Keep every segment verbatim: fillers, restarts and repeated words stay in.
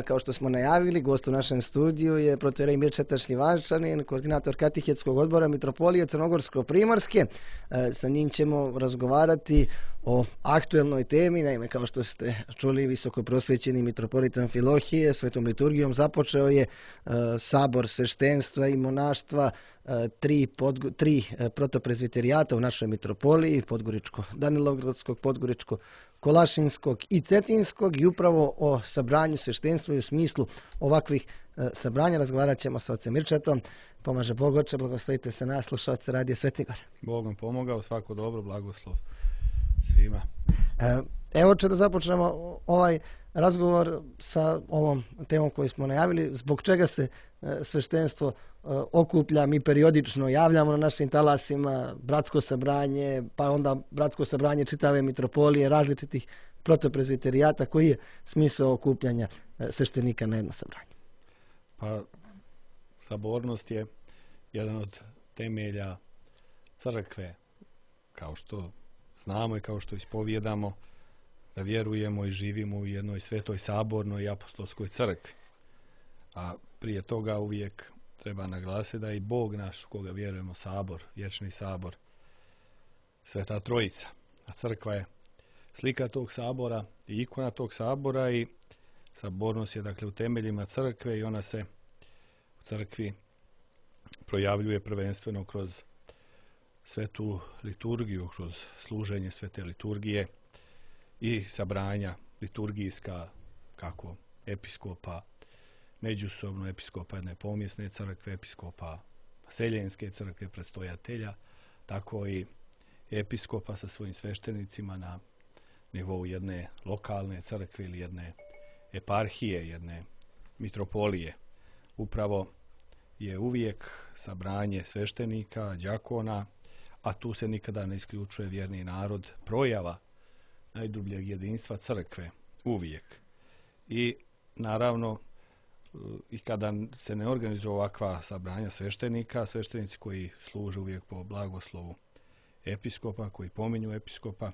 Kao što smo najavili, gost u našem studiju je protoijerej Mirčeta Šljivančanin, koordinator Katehetskog odbora Mitropolije Crnogorsko-Primorske. Sa njim ćemo razgovarati o aktuelnoj temi. Naime, kao što ste čuli, visoko prosvećeni mitropolit Amfilohije svetom liturgijom započeo je sabor sveštenstva i monaštva tri, podgo, tri protoprezviterijata u našoj mitropoliji, Podgoričko-Danilovgradskog, Podgoričko-Kolašinskog i Cetinskog, i upravo o sabranju sveštenstva i u smislu ovakvih sabranja razgovarat ćemo sa ocem Mirčetom. Pomaže Bog, oče, blagoslovite se nas, slušalce Radio Sveti Gor. Bog vam pomogao, svako dobro, blagoslov svima. Evo, oče, da započnemo ovaj razgovor sa ovom temom koju smo najavili. Zbog čega se sveštenstvo okuplja? Mi periodično javljamo na našim talasima bratsko sabranje, pa onda bratsko sabranje čitave mitropolije, različitih protoprezviterijata. Koji je smisao okupljanja sveštenika na jedno sabranje? Pa, sabornost je jedan od temelja crkve, kao što znamo i kao što ispovjedamo, da vjerujemo i živimo u jednoj svetoj sabornoj i apostolskoj crkvi. A prije toga uvijek treba naglasiti da je i Bog naš, u koga vjerujemo, sabor, vječni sabor, Sveta Trojica. A crkva je slika tog sabora i ikona tog sabora, i sabornost je dakle u temeljima crkve, i ona se u crkvi projavljuje prvenstveno kroz svetu liturgiju, kroz služenje svete liturgije i sabranja liturgijska, kako episkopa, međusobno episkopa jedne pomjesne crkve, episkopa seljenske crkve, predstojatelja, tako i episkopa sa svojim sveštenicima na nivou jedne lokalne crkve ili jedne eparhije, jedne mitropolije. Upravo je uvijek sabranje sveštenika, đakona, a tu se nikada ne isključuje vjerni narod, projava najdubljeg jedinstva crkve, uvijek. I naravno, i kada se ne organizuje ovakva sabranja sveštenika, sveštenici koji služe uvijek po blagoslovu episkopa, koji pominju episkopa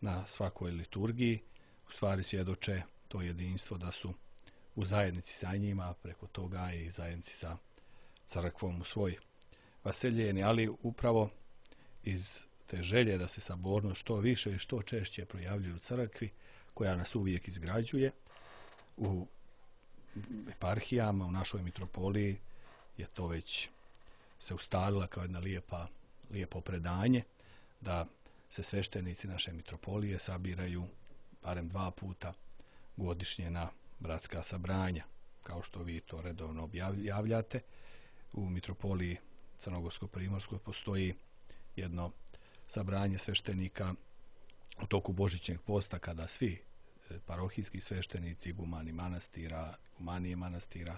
na svakoj liturgiji, u stvari svjedoče to jedinstvo da su u zajednici sa njima, preko toga i zajednici sa crkvom u svoj vaseljeni, ali upravo iz te želje da se sabornost što više i što češće projavljuje u crkvi, koja nas uvijek izgrađuje, u eparhijama, u našoj mitropoliji je to već se ustalila kao jedna lijepa, lijepo predanje, da se sveštenici naše mitropolije sabiraju barem dva puta godišnje na bratska sabranja, kao što vi to redovno objavljate. U mitropoliji Crnogorsko-Primorskoj postoji jedno sabranje sveštenika u toku Božićnjeg posta, kada svi parohijski sveštenici, igumani manastira, igumanije manastira,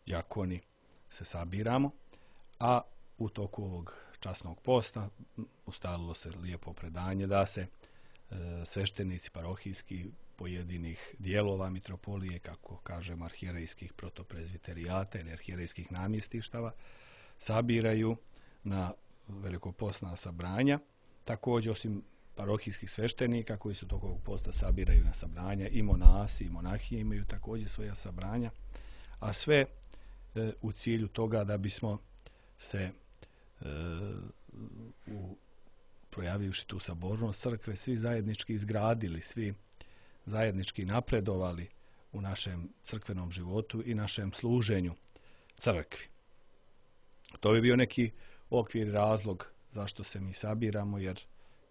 đakoni se sabiramo, a u toku ovog časnog posta ustalilo se lijepo predanje da se e, sveštenici parohijski pojedinih dijelova mitropolije, kako kažemo arhijerejskih protoprezviterijata ili arhijerejskih namjestištava, sabiraju na velikopostna sabranja. Također, osim parohijskih sveštenika koji su tokom ovog posta sabiraju na sabranja, i monasi i monahije imaju također svoja sabranja, a sve e, u cilju toga da bismo se e, u projavivši tu sabornost crkve svi zajednički izgradili, svi zajednički napredovali u našem crkvenom životu i našem služenju crkvi. To bi bio neki okvir, razlog zašto se mi sabiramo, jer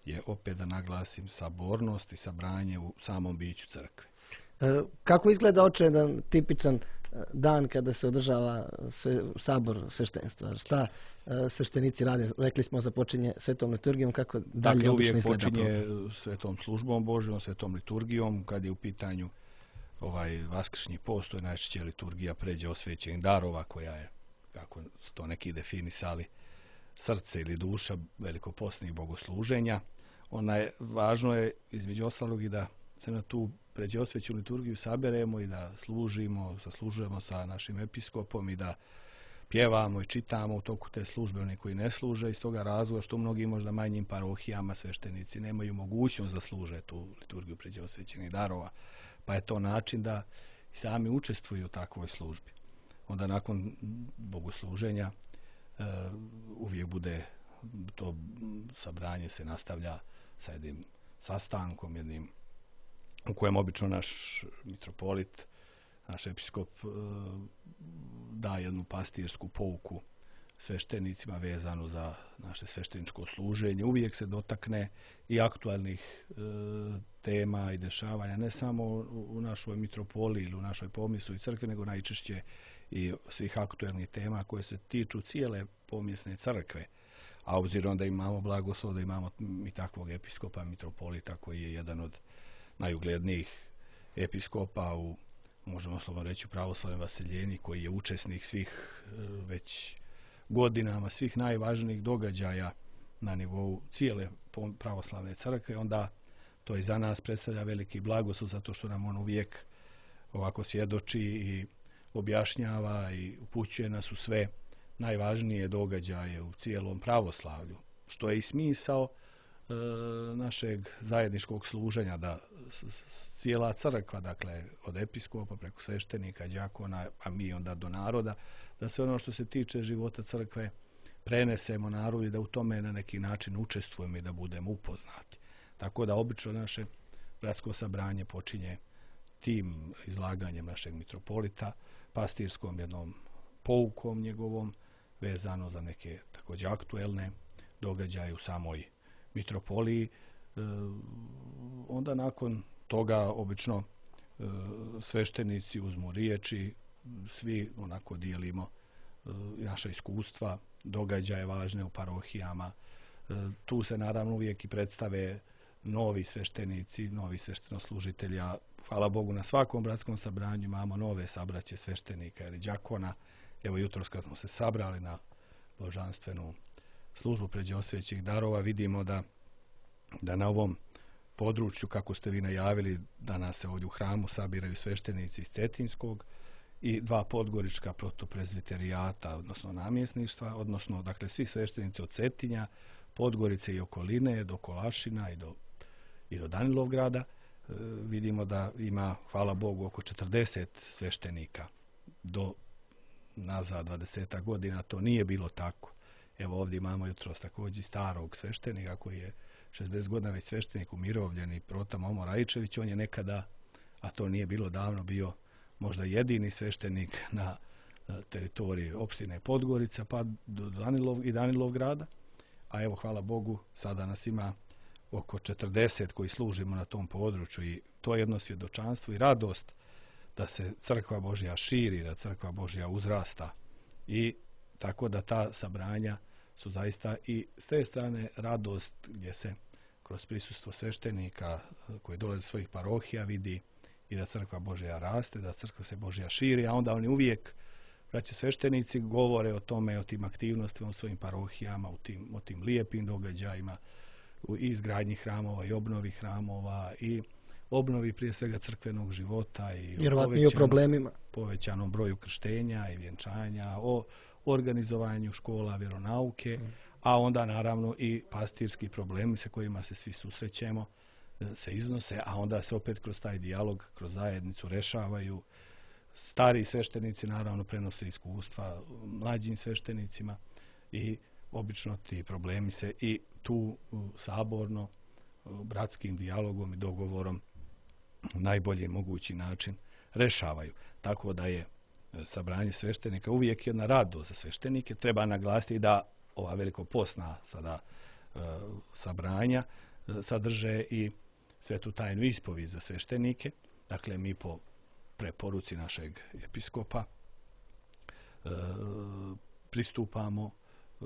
je, opet da naglasim, sabornost i sabranje u samom biću crkve. E, kako izgleda, oče, jedan tipičan dan kada se održava se, sabor sveštenstva? Šta e, sveštenici rade? Rekli smo, započinje svetom liturgijom, kako dalje dakle, obično uvijek izgleda? počinje svetom službom Božjom, svetom liturgijom. Kad je u pitanju ovaj vaskršnji post, to je najčešće liturgija pređe osvećenih darova, koja je, kako su to neki definisali, srce ili duša velikopostnih bogosluženja. Ona je, važno je između ostalog i da se na tu pređe osvećenu liturgiju saberemo i da služimo, zaslužujemo sa našim episkopom i da pjevamo i čitamo u toku te službe oni koji ne služe, iz toga razloga što u mnogim možda manjim parohijama sveštenici nemaju mogućnost da služe tu liturgiju pređe osvećenih darova. Pa je to način da i sami učestvuju u takvoj službi. Onda nakon bogosluženja e, uvijek bude to sabranje se nastavlja sa jednim sastankom, jednim u kojem obično naš mitropolit, naš episkop e, da jednu pastirsku pouku sveštenicima vezanu za naše svešteničko služenje. Uvijek se dotakne i aktualnih e, tema i dešavanja, ne samo u, u našoj mitropoliji ili u našoj pomislu i crkvi, nego najčešće i svih aktualnih tema koje se tiču cijele pomjesne crkve. A obzirom da imamo blagoslov, da imamo i takvog episkopa, mitropolita, koji je jedan od najuglednijih episkopa u, možemo slobodno reći, pravoslavnoj vaseljeni, koji je učesnik svih e, već godinama, svih najvažnijih događaja na nivou cijele pravoslavne crkve, onda to i za nas predstavlja veliki blagoslov, zato što nam on uvijek ovako svjedoči i objašnjava i upućuje nas u sve najvažnije događaje u cijelom pravoslavlju, što je i smisao e, našeg zajedničkog služenja, da s, s, cijela crkva, dakle od episkopa preko sveštenika, đakona, a mi onda do naroda, da sve ono što se tiče života crkve prenesemo narodu i da u tome na neki način učestvujemo i da budemo upoznati. Tako da obično naše bratsko sabranje počinje tim izlaganjem našeg mitropolita, pastirskom jednom poukom njegovom, vezano za neke također aktuelne događaje u samoj mitropoliji. E, onda nakon toga obično e, sveštenici uzmu riječi, svi onako dijelimo e, naša iskustva, događaje važne u parohijama. E, tu se naravno uvijek i predstave novi sveštenici, novi sveštenoslužitelji, a hvala Bogu na svakom bratskom sabranju imamo nove sabraće sveštenika ili đakona. Evo jutros kad smo se sabrali na božanstvenu službu pređe osvećih darova, vidimo da, da na ovom području, kako ste vi najavili, danas se ovdje u hramu sabiraju sveštenici iz Cetinskog i dva podgorička protoprezviterijata, odnosno namjesništva, odnosno dakle svi sveštenici od Cetinja, Podgorice i okoline, do Kolašina i do, i do Danilovgrada. E, vidimo da ima, hvala Bogu, oko četrdeset sveštenika. Do nazad dvadeset godina to nije bilo tako. Evo ovdje imamo jutros također starog sveštenika koji je šezdeset godina već sveštenik umirovljen, i Prota Momo Raičević. On je nekada, a to nije bilo davno, bio možda jedini sveštenik na teritoriji opštine Podgorica pa do Danilov i Danilovgrada. A evo hvala Bogu sada nas ima oko četrdeset koji služimo na tom području, i to je jedno svjedočanstvo i radost da se crkva Božja širi, da crkva Božja uzrasta, i tako da ta sabranja su zaista i s te strane radost gdje se kroz prisustvo sveštenika koji dolaze iz svojih parohija vidi i da crkva Božja raste, da crkva se Božja širi, a onda oni uvijek, braće sveštenici, govore o tome, o tim aktivnostima u svojim parohijama, o tim, o tim lijepim događajima, u izgradnji hramova i obnovi hramova i obnovi prije svega crkvenog života i o problemima, povećanom broju krštenja i vjenčanja, o organizovanju škola vjeronauke, mm. a onda naravno i pastirski problemi sa kojima se svi susrećemo se iznose, a onda se opet kroz taj dijalog, kroz zajednicu rešavaju. Stari sveštenici naravno prenose iskustva mlađim sveštenicima i obično ti problemi se i tu saborno, bratskim dijalogom i dogovorom na najbolji mogući način rešavaju. Tako da je sabranje sveštenika uvijek jedna radost za sveštenike. Treba naglasiti da ova velikoposna sada e, sabranja e, sadrže i svetu tajnu ispovijed za sveštenike. Dakle, mi po preporuci našeg episkopa e, pristupamo e,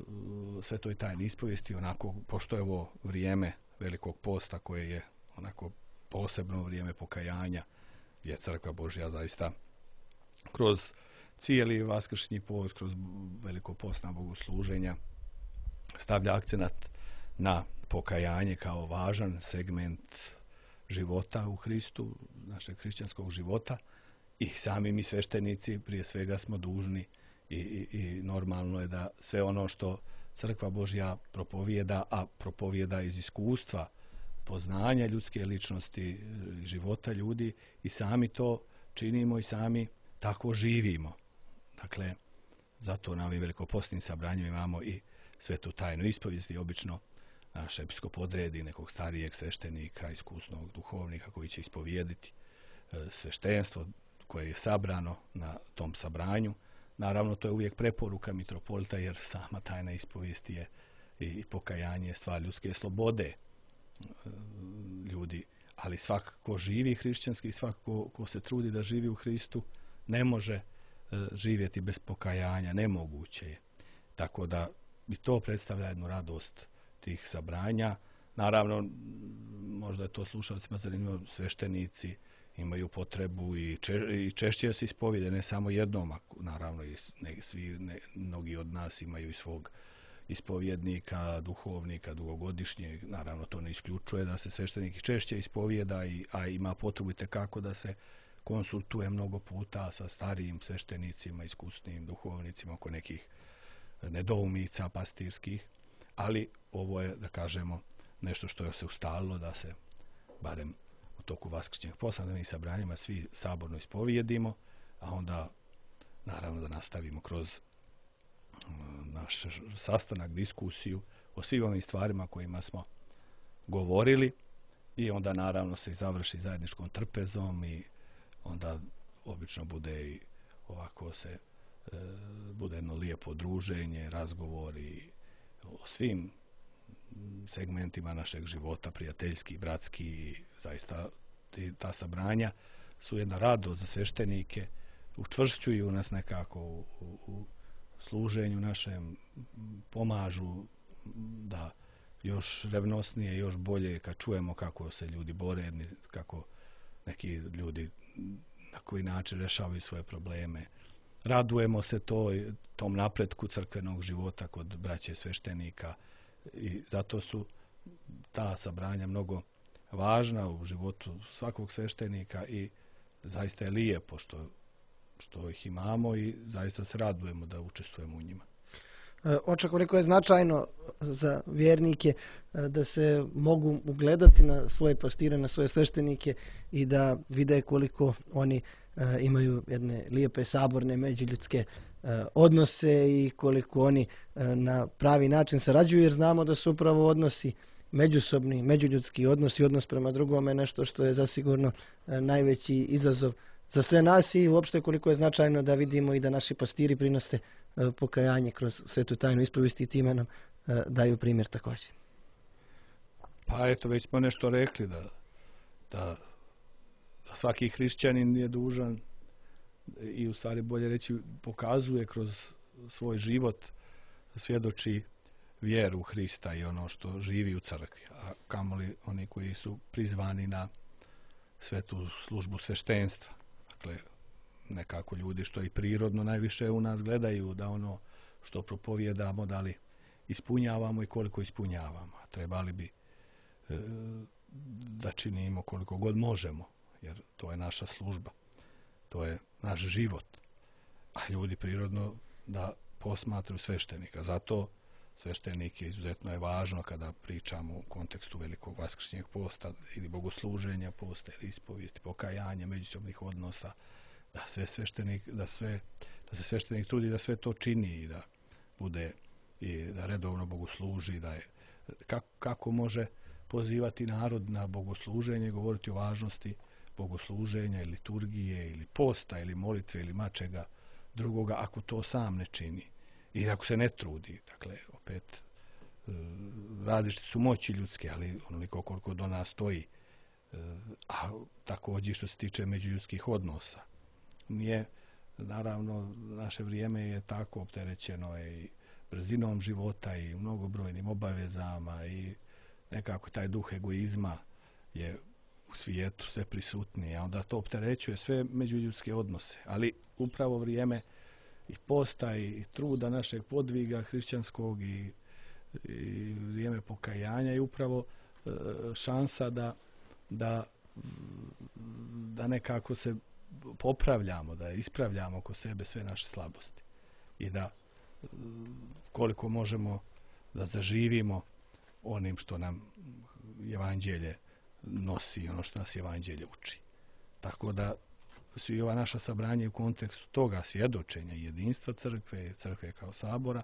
svetoj tajni ispovijesti onako, pošto je ovo vrijeme velikog posta koje je onako posebno vrijeme pokajanja, gdje crkva Božja zaista kroz cijeli vaskršnji post, kroz veliko postna bogosluženja stavlja akcenat na pokajanje kao važan segment života u Hristu, našeg hrišćanskog života, i sami mi sveštenici prije svega smo dužni i, i, i normalno je da sve ono što crkva Božja propovijeda, a propovijeda iz iskustva poznanja ljudske ličnosti, života ljudi, i sami to činimo i sami tako živimo. Dakle, zato na ovim velikoposnim sabranjima imamo i svetu tajnu ispovijesti. Obično naš episkop odredi nekog starijeg sveštenika, iskusnog duhovnika koji će ispovijediti sveštenstvo koje je sabrano na tom sabranju. Naravno, to je uvijek preporuka mitropolita, jer sama tajna ispovijesti je i pokajanje stvar ljudske slobode ljudi. Ali svako živi hrišćanski, svako ko se trudi da živi u Hristu, ne može živjeti bez pokajanja, nemoguće je. Tako da i to predstavlja jednu radost tih sabranja. Naravno, možda je to slušalcima zanimljivo, sveštenici imaju potrebu i, če, i češće se ispovijede, ne samo jednom, naravno i ne, svi, ne, mnogi od nas imaju i svog ispovjednika, duhovnika, dugogodišnjeg. Naravno, to ne isključuje da se sveštenik češće ispovijeda, i, a ima potrebu itekako da se konsultuje mnogo puta sa starijim sveštenicima, iskusnim duhovnicima oko nekih nedoumica pastirskih, ali ovo je, da kažemo, nešto što je se ustalilo da se, barem u toku vaskršnjeg posta, na sabranjima svi saborno ispovijedimo, a onda naravno da nastavimo kroz naš sastanak, diskusiju o svim ovim stvarima kojima smo govorili, i onda naravno se završi zajedničkom trpezom, i onda obično bude i ovako se e, bude jedno lijepo druženje, razgovori o svim segmentima našeg života, prijateljski, bratski, i zaista ti, ta sabranja su jedna radost za sveštenike, učvršćuju nas nekako u, u, u služenju našem, pomažu da još revnosnije, još bolje, kad čujemo kako se ljudi bore, kako neki ljudi na koji način rješavaju svoje probleme. Radujemo se to, tom napretku crkvenog života kod braće sveštenika, i zato su ta sabranja mnogo važna u životu svakog sveštenika, i zaista je lijepo što, što ih imamo, i zaista se radujemo da učestvujemo u njima. Oče, koliko je značajno za vjernike da se mogu ugledati na svoje pastire, na svoje sveštenike, i da vide koliko oni imaju jedne lijepe saborne međuljudske odnose i koliko oni na pravi način sarađuju, jer znamo da su upravo odnosi međusobni, međuljudski odnosi, odnos prema drugome, nešto što je zasigurno najveći izazov za sve nas, i uopšte koliko je značajno da vidimo i da naši pastiri prinose pokajanje kroz svetu tajnu ispovijesti, i time nam daju primjer također. Pa eto, već smo nešto rekli, da, da, da svaki hrišćanin je dužan, i u stvari bolje reći pokazuje kroz svoj život, svjedoči vjeru u Hrista i ono što živi u crkvi, a kamoli oni koji su prizvani na svetu službu sveštenstva. Dakle, nekako ljudi što i prirodno najviše u nas gledaju da ono što propovijedamo, da li ispunjavamo i koliko ispunjavamo. A trebali bi e, da činimo koliko god možemo, jer to je naša služba, to je naš život. A ljudi prirodno da posmatruju sveštenika. Zato sveštenik je izuzetno je važno kada pričamo u kontekstu velikog vaskršnjeg posta ili bogosluženja posta ili ispovijesti, pokajanja, međusobnih odnosa, da sve sveštenik, da sve, da se sveštenik trudi da sve to čini i da bude i da redovno bogosluži, da je kako, kako može pozivati narod na bogosluženje, govoriti o važnosti bogosluženja ili liturgije ili posta ili molitve ili mačega drugoga ako to sam ne čini i ako se ne trudi. Dakle, opet različite su moći ljudske, ali onoliko koliko do nas stoji, a također što se tiče međuljudskih odnosa. Nije, naravno, naše vrijeme je tako opterećeno i brzinom života i mnogobrojnim obavezama i nekako taj duh egoizma je u svijetu sve prisutniji, a onda to opterećuje sve međuljudske odnose. Ali upravo vrijeme i posta i truda našeg podviga hrišćanskog i, i vrijeme pokajanja je upravo e, šansa da, da, da nekako se popravljamo, da ispravljamo oko sebe sve naše slabosti i da koliko možemo da zaživimo onim što nam evanđelje nosi, ono što nas evanđelje uči. Tako da su i ova naša sabranja u kontekstu toga svjedočenja jedinstva crkve, crkve kao sabora,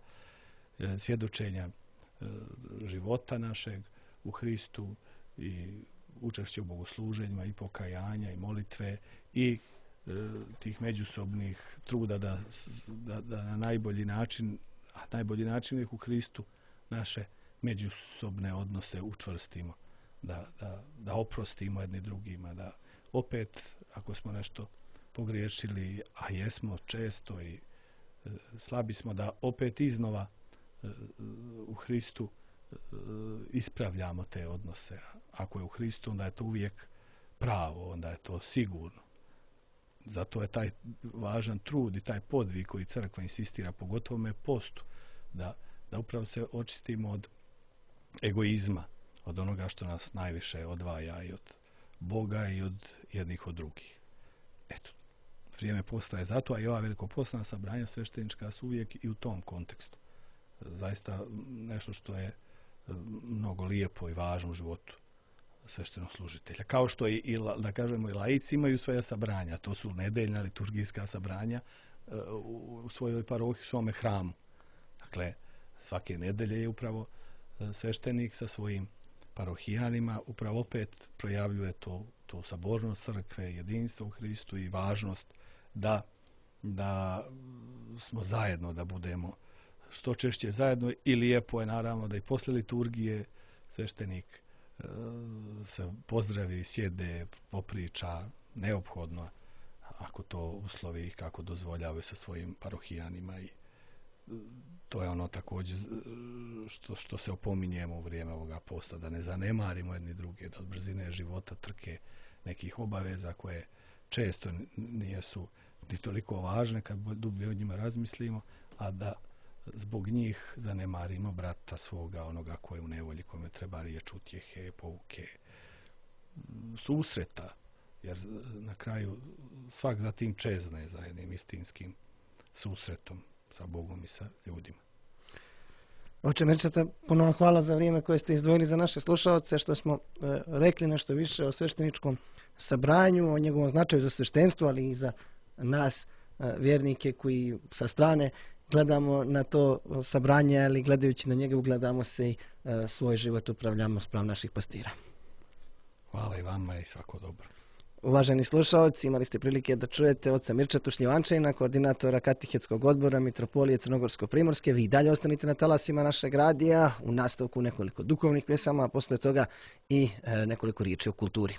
svjedočenja života našeg u Hristu i učešće u bogosluženjima i pokajanja i molitve i e, tih međusobnih truda da, da, da na najbolji način, a najbolji način je u Hristu, naše međusobne odnose učvrstimo, da, da, da oprostimo jedni drugima, da opet ako smo nešto pogriješili, a jesmo često i e, slabi smo, da opet iznova e, u Hristu ispravljamo te odnose. Ako je u Hristu, onda je to uvijek pravo, onda je to sigurno. Zato je taj važan trud i taj podvig koji crkva insistira, pogotovo me postu, da, da upravo se očistimo od egoizma, od onoga što nas najviše odvaja i od Boga i od jednih od drugih. Eto, vrijeme posta je zato, a i ova velikopostna sabranja sveštenička su uvijek i u tom kontekstu. Zaista nešto što je mnogo lijepo i važno u životu sveštenoslужitelja. Kao što i, i da kažemo, i laici imaju svoja sabranja. To su nedeljna liturgijska sabranja u svojoj parohiji, u svome hramu. Dakle, svake nedelje je upravo sveštenik sa svojim parohijanima upravo opet projavljuje to, to sabornost crkve, jedinstvo u Hristu i važnost da, da smo zajedno, da budemo što češće zajedno, i lijepo je naravno da i posle liturgije sveštenik e, se pozdravi, sjede, popriča, neophodno, ako to uslovi kako dozvoljavaju sa svojim parohijanima, i to je ono također što, što se opominjemo u vrijeme ovoga posta, da ne zanemarimo jedni druge, da od brzine života trke nekih obaveza koje često nisu ni toliko važne kad dublje o njima razmislimo, a da zbog njih zanemarimo brata svoga, onoga koje u nevolji, kome treba riječ utjehe, pouke, susreta, jer na kraju svak za tim čezne za jednim istinskim susretom sa Bogom i sa ljudima. Oče Mirčeta, puno vam hvala za vrijeme koje ste izdvojili za naše slušalce, što smo e, rekli nešto više o svešteničkom sabranju, o njegovom značaju za sveštenstvo, ali i za nas e, vjernike koji sa strane gledamo na to sabranje, ali gledajući na njega ugledamo se i e, svoj život upravljamo spram naših pastira. Hvala i vama i svako dobro. Uvaženi slušalci, imali ste prilike da čujete oca Mirčetu Šljivančanina, koordinatora Katehetskog odbora Mitropolije Crnogorsko-Primorske. Vi dalje ostanite na talasima našeg radija, u nastavku nekoliko duhovnih pjesama, a posle toga i e, nekoliko riječi o kulturi.